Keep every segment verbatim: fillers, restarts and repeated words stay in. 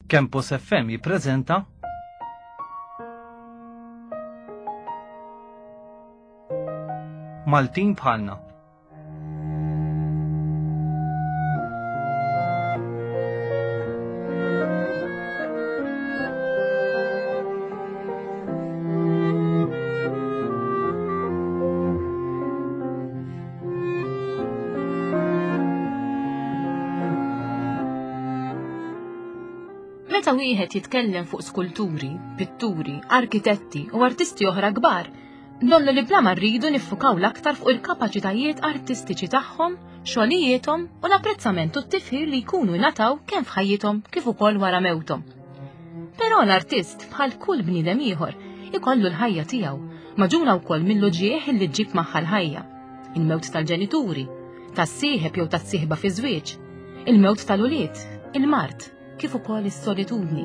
Campus F M jippreżenta Maltin Bħalna. Meta wieħed jitkellem fuq skulturi, pitturi, arkitetti u artisti oħra kbar, donnu li bla ma rridu niffukaw l-aktar fuq il-kapaċitajiet artistiċi tagħhom, xogħlijiethom u l-apprezzament u t-tifħir li jkunu ngħataw kemm f'ħajjithom kif ukoll wara mewthom. Però l-artist bħal kull bniedem ieħor ikollu l-ħajja tiegħu, maġuna wkoll mill-uġieħ li ġġib magħha l-ħajja. Il-mewt tal-ġenituri, tas-sieħeb jew tas-sieħba fi żwieġ, il-mewt tal-ulied, il-mard, kif ukoll is-solitudni.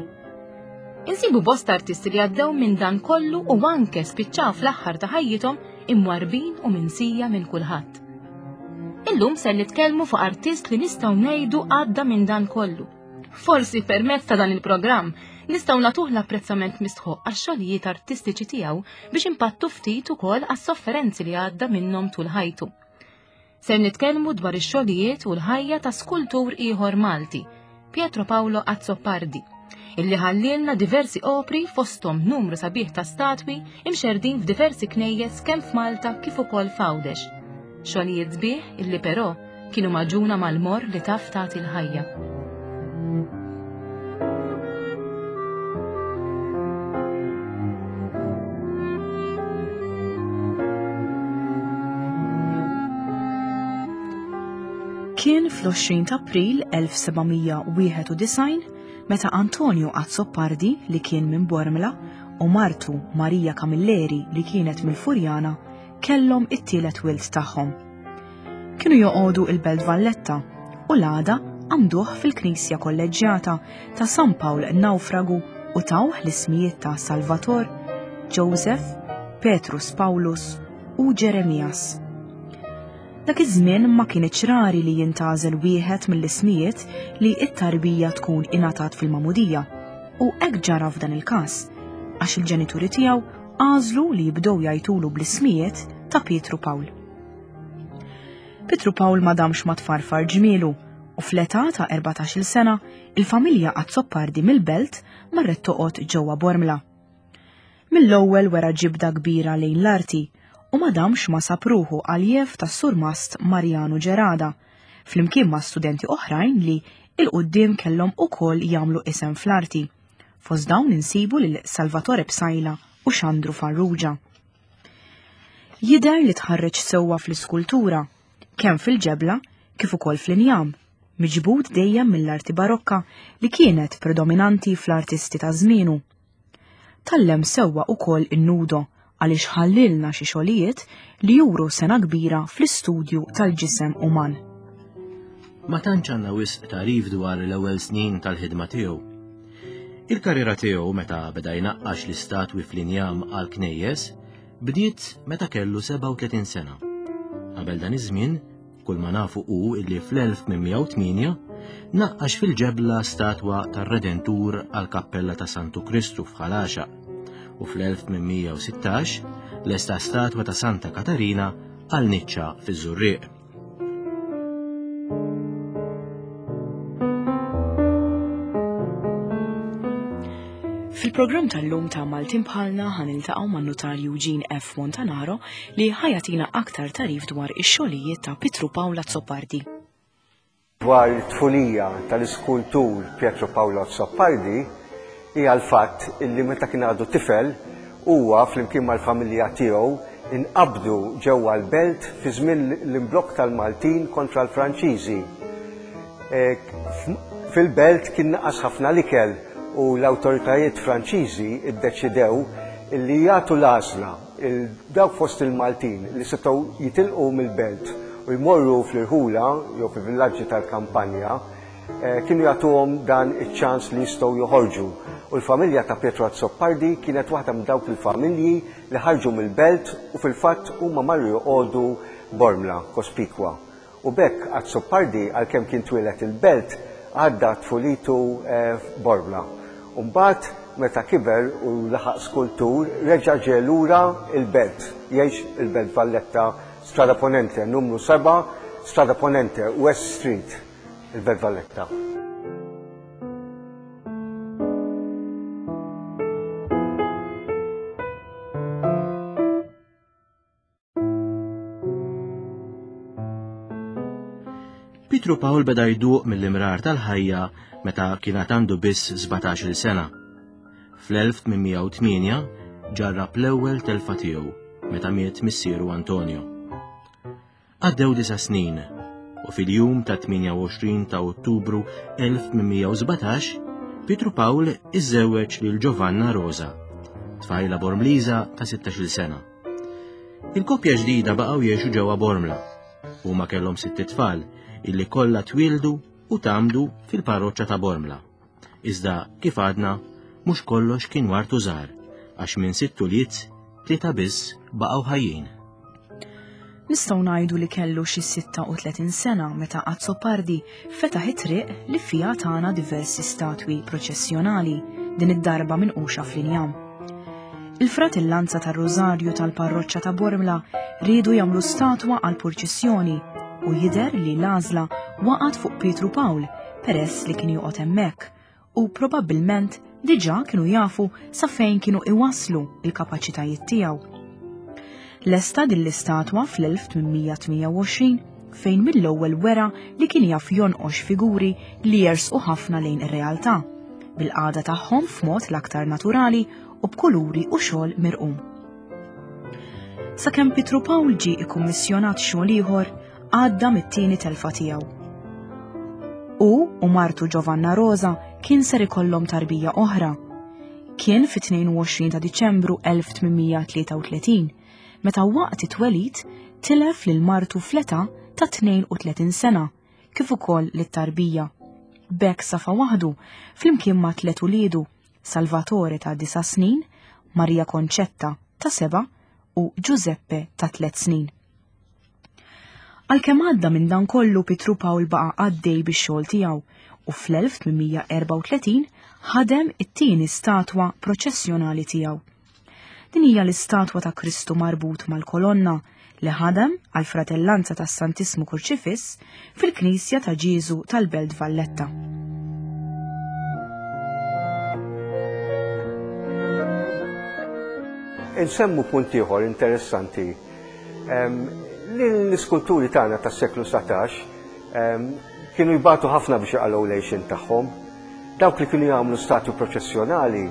Insibu bosta artisti li għaddew minn dan kollu u anke spiċċaw fl-aħħar ta' ħajjithom imwarbin u minsija minn kulħadd. Illum ser nitkellmu fuq artist li nistgħu ngħidu għadda minn dan kollu. Forsi permezz ta' dan il-programm nistgħu nagħtuh l-apprezzament mistħoq għax-xogħlijiet artistiċi tiegħu biex impattu ftit ukoll għas-sofferenzi li għadda minnhom tul ħajtu. Ser nitkellmu dwar ix-xogħlijiet u l-ħajja ta' skultur ieħor Malti, Pietro Paolo Azzopardi, illi ħallilna diversi opri fosthom numru sabiħ ta' statwi imxerdin f'diversi knejjes kemm f'Malta kif ukoll f'Għawdex. Xogħlijiet sbieħ illi però kienu maġuna mal-mor li taf tagħti l-ħajja. Kien fl-għoxrin ta' April elf seba' mija wieħed u disgħin meta Antonio Azzopardi, li kien minn Bormla, u martu Maria Camilleri, li kienet mill-Furjana, kellhom it-tielet wild tagħhom. Kienu joqogħdu il-Belt Valletta u l-għada għamduh fil-Knisja Kolleġġjata ta' San Pawl Naufragu u tawh l-ismijiet ta' Salvator, Joseph, Petrus Paulus u Ġeremias. Dak iż-żmien ma kienx rari li jintgħażel wieħed mill-ismijiet li t-tarbija tkun ingħatat fil-magħmudija, u hekk ġara f'dan il-każ, għax il-ġenituri tiegħu għażlu li jibdew jgħidulu bl-ismijiet ta' Pietru Pawl. Pietru Pawl ma damx ma tfarfar ġmielu, u fl-età ta' erbatax-il sena il-familja Azzopardi mill-Belt marret toqgħod ġewwa Bormla. Mill-ewwel wera ġibda kbira lejn l-arti, u ma damx ma sab ruħu għaljef tas-surmast Mariano Gerada, flimkien ma' studenti oħrajn li il-quddiem kellhom ukoll jagħmlu isem fl-arti. Fost dawn insibu lil Salvatore Psaila u Xandru Farrugia. Jidher li tħarreġ sewwa fl-iskultura, kemm fil-ġebla kif ukoll fl-injam, miġbud dejjem mill-arti barokka li kienet predominanti fl-artisti ta' żmienu. Tallem sewwa ukoll in-nudo, għaliex ħallilna xi xogħlijiet li juru sena kbira fl-istudju tal-ġisem uman. Ma tantx għandna wisq tagħrif dwar l-ewwel snin tal-ħidma tiegħu. Il-karriera tiegħu meta beda jnaqqax l-istatwi fl-injam għal knejjes bdiet meta kellu sebgħa u tletin sena. Qabel dan iż-żmien, kull ma nafu hu illi fl-elf tmien mija u tmienja naqqax fil-ġebla statwa tar-Redentur għall-Kappella ta' Santu Kristu f'Ħal Għaxaq, u fl-elf tmien mija u sittax lesta statwa ta' Santa Katarina għal niċċa fiż-Żurrieq. Fil-programm tal-lum ta' Maltin Bħalna ħaniltaqgħu man-notarju Jean F. Montanaro li ħajatina aktar tagħrif dwar ix-xogħlijiet ta' Pietru Pawl Azzopardi. Dwar it-tfulija tal-iskultur Pietro Paolo Azzopardi hija l-fatt illi meta kien għadu tifel huwa flimkien mal-familja tiegħu inqabdu ġewwa l-belt fi żmien l-imblokk tal-Maltin kontra l-Franċiżi. E, fil-belt kien naqas ħafna l-ikel u l-awtoritajiet Franċiżi iddeċidew illi jagħtu l-għażla dawk fost il-Maltin li setgħu jitilqu mill-belt u jmorru fl-irħula jew fil-villaġġi tal-kampanja, eh, kienu jagħtuhom dan iċ-ċans li jistgħu joħorġu. U l-familja ta' Pietro Azzopardi kienet waħda minn dawk il-familji li ħarġu mill-belt u fil-fatt huma marru joqogħdu Bormla, Cospicua. U b'hekk Azzopardi, għalkemm kien twieled il-belt, għadda tfulitu f'Bormla. U mbagħad meta kiber u laħaq skultur reġa' ġie lura il-Belt, jgħix il-Belt Valletta, Strada Ponente, numru seba', Strada Ponente, West Street, il-Belt Valletta. Pietru Pawl beda jduq mill-imrar tal-ħajja meta kien għandu biss sbatax-il sena. Fl-elf tmien mija u tmienja ġarrab l-ewwel telfa tiegħu meta miet missieru Antonio. Għaddew disa' snin u fil-jum ta' tmienja u għoxrin ta' Ottubru elf tmien mija u sbatax Pietru Pawl iżżewweġ lil Giovanna Rosa, tfajla Bormliża ta' sittax-il sena. Il-koppja ġdida baqgħu jgħixu ġewwa Bormla. Huma kellhom sitt tfal illi kollha twildu u tgħammdu fil-parroċċa ta' Bormla. Iżda kif għadna, mhux kollox kien wartu żgħar, għax minn sitt ulied tlieta biss baqgħu ħajjin. Nistgħu ngħidu li kellu xi sitta u tletin sena meta Azzopardi fetaħ it-triq li fiha tana diversi statwi proċessjonali, din id-darba minquxa fl-injam. Il-fratellanza tar-Rożarju tal-parroċċa ta' Bormla riedu jagħmlu statwa għal purċissjoni u jidher li l-għażla waqgħet fuq Pietru Pawl peress li kien joqgħod hemmhekk u probabbilment diġà kienu jafu sa fejn kienu iwaslu il-kapaċitajiet tiegħu. Lesta din l-istatwa fl-elf tmien mija tmienja u għoxrin fejn mill-ewwel wera li kien jaf jonqox figuri li jersqu ħafna lejn ir-realtà, bil-qagħda tagħhom f'mod l-aktar naturali u b'kuluri u xogħol mirqum. Sakemm Pietru Pawl ġie ikkummissjonat xogħol ieħor, għadda mit-tieni telfa tiegħu. Hu u martu Giovanna Rosa kien ser ikollhom tarbija oħra. Kien fit-tnejn u għoxrin ta' Diċembru elf tmien mija tlieta u tletin, meta waqt it-twelid tilef lil martu fl-età ta' tnejn u tletin sena, kif ukoll lit-tarbija. B'hekk safa waħdu flimkien ma' tliet uliedu, Salvatore ta' disa' snin, Maria Concetta ta' seba' u Giuseppe ta' tliet snin. Għalkemm għadda minn dan kollu, Pietru Pawl baqa' għaddej bix-xogħol tiegħu u fl-elf tmien mija erbgħa u tletin ħadem it-tieni statwa proċessjonali tiegħu. Din hija l-istatwa ta' Kristu marbut mal-kolonna li ħadem għal fratellanza tas-Santissmu Kurċifiss fil-Knisja ta' Ġieżu tal-Belt Valletta. Insemmu punt ieħor interessanti. Em, li l-iskulturi tagħna tas-seklu satax, em, kienu jbatu ħafna biex jaqalgħu l-għixien tagħhom. Dawk li kienu jagħmlu statwi proċessjonali,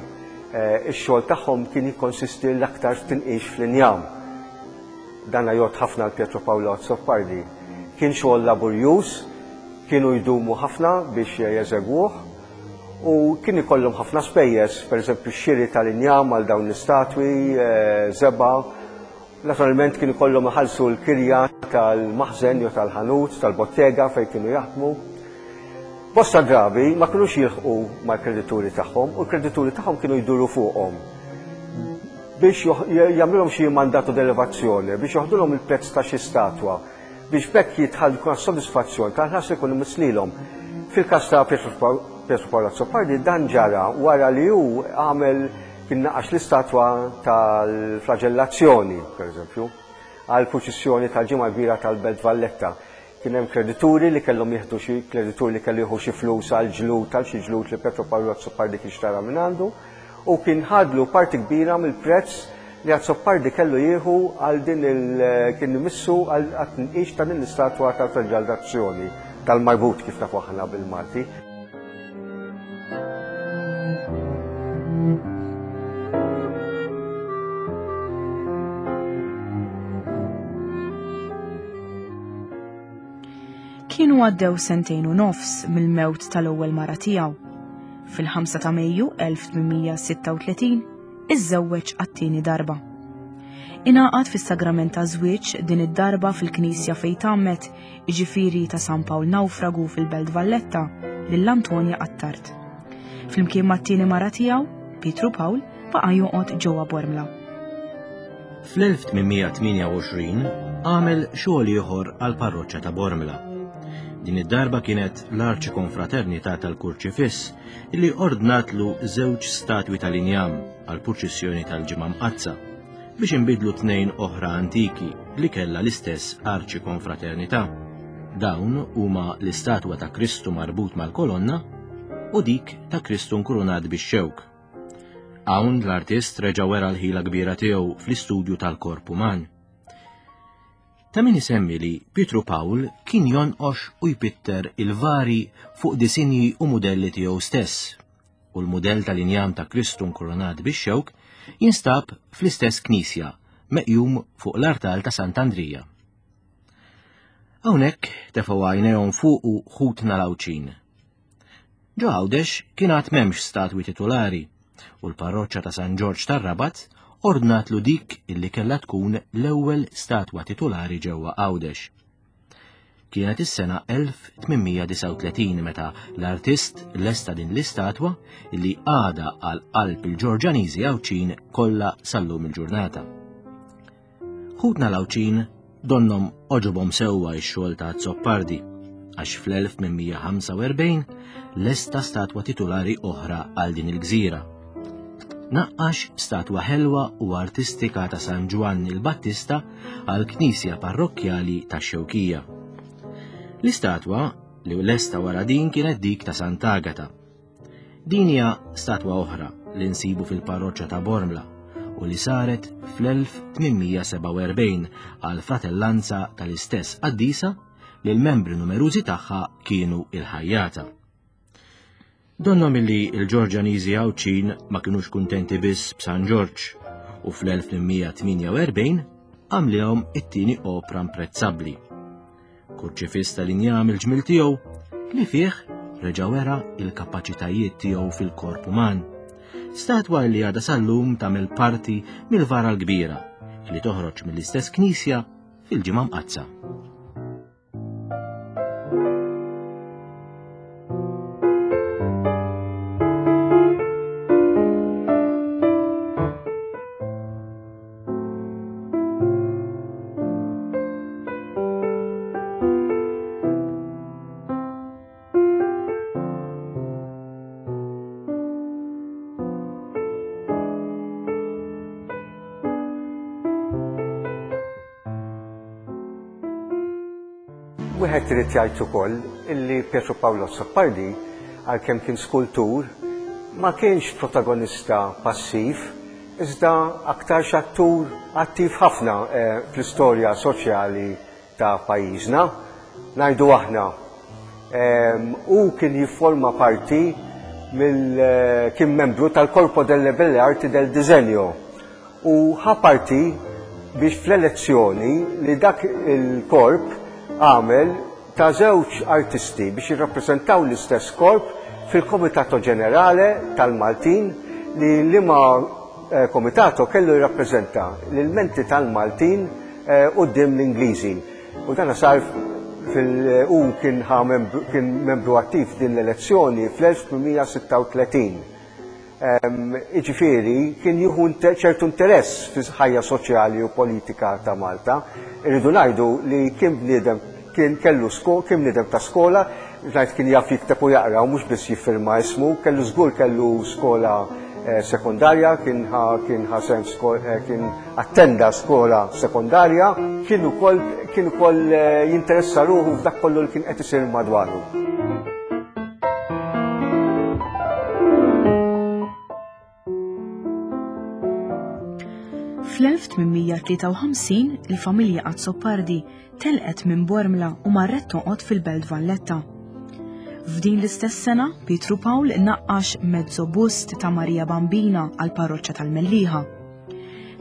eh, ix-xogħol tagħhom kien jikkonsisti l-aktar f'tinqix fl-injam. Dan jgħodd ħafna għal Pietro Paolo Azzopardi. Kien xogħol laburjuż, kienu jdumu ħafna biex jeżegwuh u kien ikollhom ħafna spejjeż, pereżempju x-xiri tal-injam għal dawn l-istatwi, eh, żebgħa. Naturalment kien ikollhom iħallsu l-kirja tal-maħżen jew tal-ħanut, tal-bottega fejn kienu jaħdmu. Bosta drabi ma kinux jilħqu mal-kredituri tagħhom u l-kredituri tagħhom kienu jduru fuqhom biex joħ-, jagħmlulhom xi mandato d'elevazzjoni, biex joħdulhom il-prezz ta' xi statwa, biex b'hekk jitħall jkun sodisfazzjon tal-ħlas li jkunu mislilhom. Fil-każ ta' Pietro Pa-, Pietro Paolo Azzopardi dan ġara wara li hu għamel kien naqax l-istatwa tal-flagellazzjoni, per eżempju, għal purċissjoni tal-Ġimgħa Kbira tal-Belt Valletta. Kien hemm kredituri li kellhom jieħdu xi kredituri li kellu jieħu xi flus għal ġlud tal xi ġlud li Pietro Paolo Azzopardi kien xtara minn għandu u kien ħadlu parti kbira mill-prezz li Azzopardi kellu jieħu għal din il kien imissu għal tnqix ta' din l-istatwa tal-flagellazzjoni tal-marbut kif nafu aħna bil-Malti. Kienu għaddew sentejn u nofs mill-mewt tal-ewwel mara tiegħu. Fil-ħamsa ta' Mejju elf tmien mija sitta u tletin iżżewweġ għat-tieni darba. Ingħaqad fis-sagrament ta' żwieġ din id-darba fil-knisja fejn tgħammed, jiġifieri ta' San Pawl Nawfragu fil-Belt Valletta, lil Antonja Attard. Flimkien mat-tieni mara tiegħu, Pietru Pawl baqa' joqgħod ġewwa Bormla. Fl-elf tmien mija tmienja u għoxrin għamel xogħol ieħor għall-parroċċa ta' Bormla. Din id-darba kienet l-Arċikonfraternità tal-Kurċifiss illi ordnatlu żewġ statwi tal-injam għal purċissjoni tal-Ġimgħa Mqaddsa biex inbidlu tnejn oħra antiki li kellha l-istess Arċikonfraternità. Dawn huma l-istatwa ta' Kristu marbut mal-kolonna u dik ta' Kristu nkurunat bix-xewk. Hawn l-artist reġa' wera l-ħila kbira tiegħu fl-istudju tal-korp uman. Ta' min isemmi li Pietru Pawl kien jonqox u jpitter il-vari fuq disinji u mudelli tiegħu stess, u l-mudell tal-injam ta' Kristu nkurunat bix-xewk jinstab fl-istess knisja meqjum fuq l-artal ta' Sant'Andrija. Hawnhekk tefgħu għajnejhom fuqu ħutna l-Għawdxin. Ġo Għawdex kien għad m'hemmx statwi titulari u l-parroċċa ta' San Ġorġ tar-Rabat ordnatlu dik illi kellha tkun l-ewwel statwa titulari ġewwa Għawdex. Kienet is-sena elf tmien mija disgħa u tletin meta l-artist lesta din l-istatwa illi għadha għal qalb il-Ġorġaniżi Għawdxin kollha sal-lum il-ġurnata. Ħutna l-Għawdxin donnom oġobhom sewwa x-xogħol ta' Azzopardi, għax fl-elf tmien mija ħamsa u erbgħin lesta statwa titulari oħra għal din il-gżira. Naqqax statwa ħelwa u artistika ta' San Ġwann il-Battista għal knisja parrokkjali ta' Xewkija. L-istatwa li lesta wara din kienet dik ta' Sant'Agata. Din hija statwa oħra li nsibu fil-parroċċa ta' Bormla u li saret fl-elf tmien mija sebgħa u erbgħin għal fratellanza tal-istess qaddisa li l-membri numerużi tagħha kienu il-ħajjata. Donnhom illi l-Ġorġaniżi Għawdxin ma kinux kuntenti biss b'San Ġorġ u fl-elf tmien mija tmienja u erbgħin għamlihom it-tieni opra imprezzabbli. Kurċifiss tal-injam il-ġmil tiegħu li fih reġa' wera il-kapaċitajiet tiegħu fil-korp uman. Statwa li għadha sal-lum tagħmel parti mill-vara l-kbira li toħroġ mill-istess knisja fil-Ġimgħa Mqaddsa. Wieħed irid jgħid ukoll illi Pietro Paolo Azzopardi, għalkemm kien skultur, ma kienx protagonista passiv, iżda aktarx attur attiv ħafna, eh, fl-istorja soċjali ta' pajjiżna. Ngħidu aħna, ehm, u kien jifforma parti mill, eh, kien membru tal-Corpo delle Belle Arti del Disegno u ħa parti biex fl-elezzjoni li dak il-korp għamel ta' żewġ artisti biex jirrappreżentaw l-istess korp fil-Komitato Ġenerale tal-Maltin li liema, eh, komitato kellu jirrappreżenta l-menti tal-Maltin, eh, quddiem l-Ingliżi. U dan sar fil-, u kien ħa membru, kien membru attiv din l-elezzjoni fl-elf tmien mija sitta u tletin. Ehm, jiġifieri kien jieħu inter-, ċertu interess fil-ħajja soċjali u politika ta' Malta. Irridu ngħidu li kien bniedem, kien kellu sko-, kien bniedem ta' skola, ngħid kien jaf jikteb u jaqra u mhux biss jiffirma ismu, kellu żgur kellu skola, eh, sekondarja, kien ħa, kien ħa sem sko-, eh, kien attenda skola sekondarja, kien ukoll, kien ukoll, eh, jinteressa ruħu f'dak kollu li kien qed isir madwaru. Fl-elf tmien mija tlieta u ħamsin il-familja Azzopardi telqet minn Bormla u marret toqgħod fil-Belt Valletta. F'din l-istess sena, Pietru Pawl naqqax mezzo bust ta' Marija Bambina għal parroċċa tal-Mellieħa.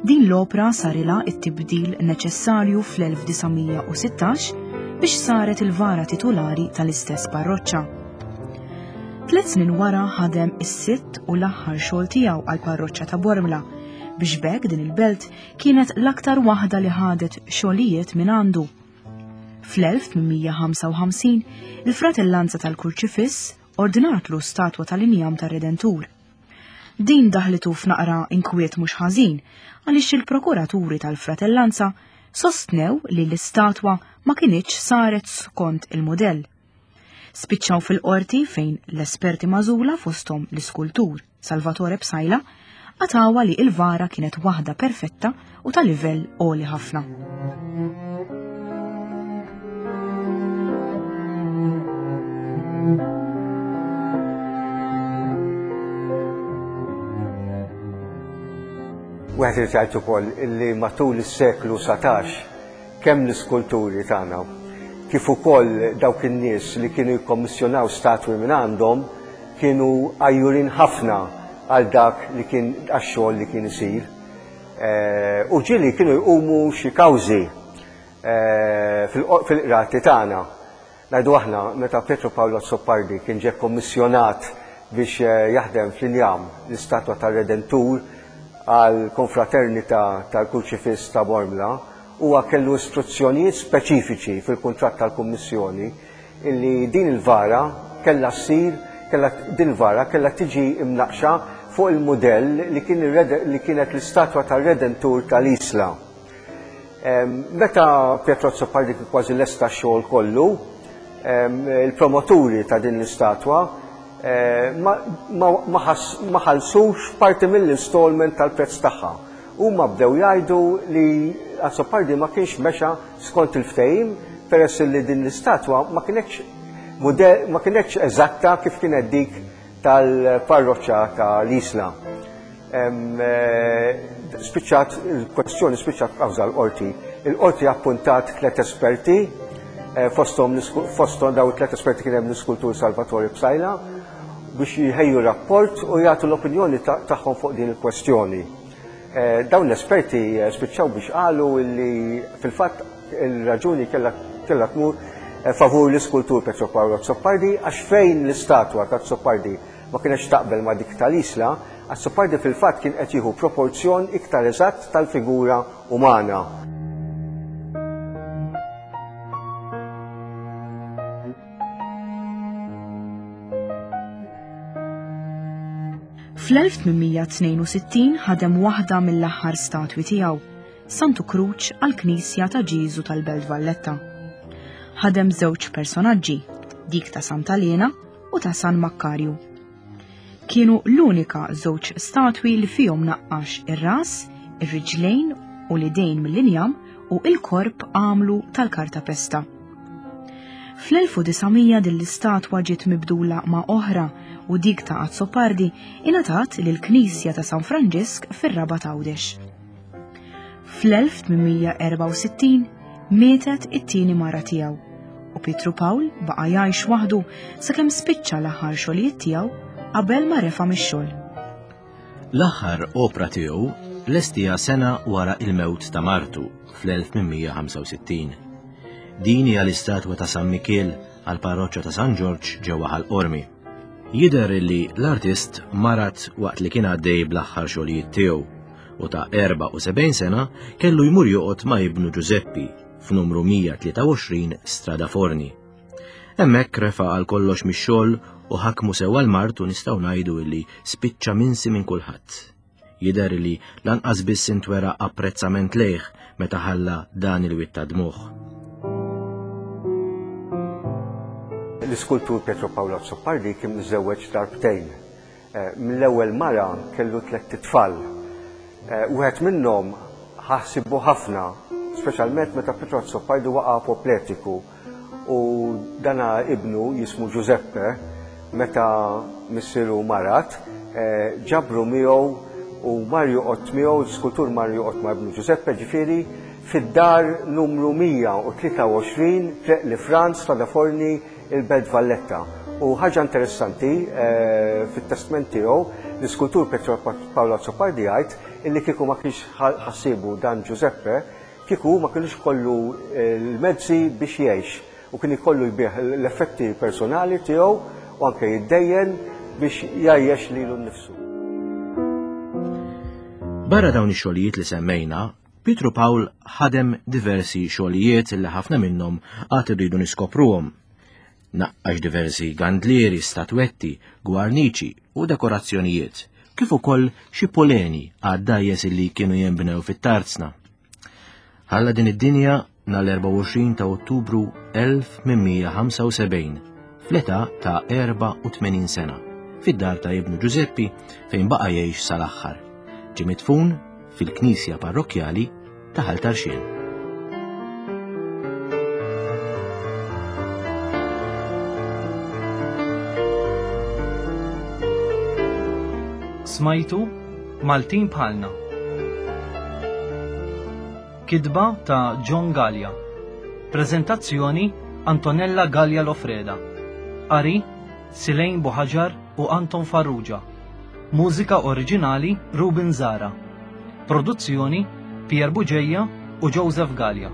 Din l-opra sarilha it-tibdil neċessarju fl-elf disa' mija u sittax biex saret il-vara titulari tal-istess parroċċa. Tliet snin wara ħadem is-sitt u l-aħħar xogħol tiegħu għal parroċċa ta' Bormla biex b'hekk din il-belt kienet l-aktar waħda li ħadet xogħlijiet minn għandu. Fl-elf tmien mija ħamsa u ħamsin, il-fratellanza tal-Kurċifiss ordinatlu statwa tal-injam tar-Redentur. Din daħlitu f'naqra inkwiet mhux ħażin għaliex il-prokuraturi tal-fratellanza sostnew li l-istatwa ma kinitx saret skont il-modell. Spiċċaw fil-qorti fejn l-esperti magħżula fosthom l-iskultur Salvatore Psaila qatgħuha li l-vara kienet waħda perfetta u ta' livell għoli ħafna. Wieħed irid jgħid ukoll illi matul is-seklu satax kemm l-iskulturi tagħna kif ukoll dawk in-nies li kienu jikkommissjonaw statwi minn għandhom kienu għajjurin ħafna għal dak li kien għax-xogħol li kien isir. U ġieli kienu jqumu xi kawżi fil-qrati tagħna. Ngħidu aħna meta Pietro Paolo Azzopardi kien ġie kommissjonat biex jaħdem fl-injam l-istatwa tar-Redentur għal konfraternita tal-Kurċifiss ta' Bormla, huwa kellu istruzzjonijiet speċifiċi fil-kuntratt tal-Kummissjoni illi din il-vara kellha ssir, kellha din il-vara kellha tiġi imnaqxa fuq il-mudell li kien li kienet l-istatwa tar-Redentur tal-Isla. Meta Pietro Azzopardi kien kważi lesta x-xogħol kollu, il-promoturi ta' din l-istatwa ma ħallsux parti mill-installment tal-prezz tagħha. Huma bdew jgħidu li Azzopardi ma kienx mexa skont il-ftehim peress li din l-istatwa ma kienx ma kienx eżatta kif kienet dik tal-parroċċa tal-Isla. Spiċċat il-kwestjoni spiċċat kawża l-qorti. Il-qorti appuntat tliet esperti, fosthom fosthom daw tliet esperti kien hemm l-iskultur Salvatore Psaila biex jħejju rapport u jagħtu l-opinjoni tagħhom fuq din il-kwestjoni. Dawn l-esperti spiċċaw biex qalu li fil-fatt il-raġuni kellha tmur favur l-iskultur Pietro Paolo Azzopardi għax fejn l-istatwa ta' Azzopardi ma kienx taqbel ma' dik tal-Isla, Azzopardi fil-fatt kien qed jieħu proporzjon iktar eżatt tal-figura umana. Fl-elf tmien tnejn u sittin ħadem waħda mill-aħħar statwi tiegħu, Santu Kruċ għall-Knisja ta' Ġieżu tal-Belt Valletta. Ħadem żewġ personaġġi, dik ta' Santa Lena u ta' San Makkarju. Kienu l-unika żewġ statwi li fihom naqqax ir-ras, ir-riġlejn u l-idejn mill-injam u il-korp għamlu tal-kartapesta. Fl-elf u disa' mija din l-istatwa ġiet mibdula ma' oħra u dik ta' Azzopardi ingħatat lill-Knisja ta' San Franġisk fir-Rabat Għawdex. Fl-elf tmien mija erbgħa u sittin mietet it-tieni mara tiegħu u Pietru Pawl baqa' jgħix waħdu sakemm spiċċa l-aħħar xogħlijiet tiegħu qabel ma refa' mix-xogħol. L-aħħar opra tiegħu lestija sena wara il-mewt ta' martu fl-elf tmien mija ħamsa u sittin. Din hija l-istatwa ta' San Mikiel għall-parroċċa ta' San Ġorġ ġewwa Ħal Qormi. Jidher li l-artist marat waqt li kien għaddej bl-aħħar xogħlijiet tiegħu u ta' erbgħa u sebgħin sena kellu jmur joqgħod ma' ibnu Giuseppi f'numru mija tlieta u għoxrin Strada Forni. Hemmhekk refa' għal kollox mix-xogħol u ħakmu sewwa l-mart u nistgħu ngħidu li spiċċa minsi minn kulħadd. Jidher li lanqas biss intwera apprezzament lejh meta ħalla dan il-wied ta' dmugħ. L-iskultur Pietro Paolo Azzopardi kien miżżewweġ darbtejn. Mill-ewwel mara kellu tlett itfal. Wieħed minnhom ħassibu ħafna, speċjalment meta Pietro Azzopardi waqa' apopletiku u dana ibnu jismu Giuseppe meta missieru marat, ġabru miegħu u mar joqgħod miegħu, l-iskultur mar joqgħod ma' ibnu Giuseppe, ġifieri fid-dar numru mija u tlieta u għoxrin Triq li Franz ta' Forni il-Belt Valletta. U ħaġa interessanti, fit-testment tiegħu l-iskultur Pietro Paolo Azzopardi jgħid illi kieku ma kienx ħassibu dan Giuseppe, kieku ma kienx kollu l-mezzi biex jgħix u kien ikollu jbigħ l-effetti personali tiegħu u anke jiddejjen biex jgħajjex lilu nnifsu. Barra dawn ix-xogħlijiet li semmejna, Pietru Pawl ħadem diversi xogħlijiet li ħafna minnhom għad irridu niskopruhom. Naqqax diversi gandlieri, statwetti, gwarniċi u dekorazzjonijiet, kif ukoll xi poleni għad-dajjes li kienu jinbnew fit-tarzna. Ħalla din id-dinja nhar l-erbgħa u għoxrin ta' Ottubru elf tmien mija ħamsa u sebgħin fl-età ta' erbgħa u tmenin sena, fid-dar ta' ibnu Giuseppi fejn baqa' jgħix sal-aħħar. Ġie midfun fil-Knisja Parrokkjali ta' Ħal Tarxien. Smajtu Maltin Bħalna. Kitba ta' John Gallia. Prezentazzjoni Antonella Gallia Lofreda. Qari Silejn Buħaġar u Anton Farrugia. Mużika oriġinali Ruben Zara. Produzzjoni Pier Buġeja u Joseph Gallia.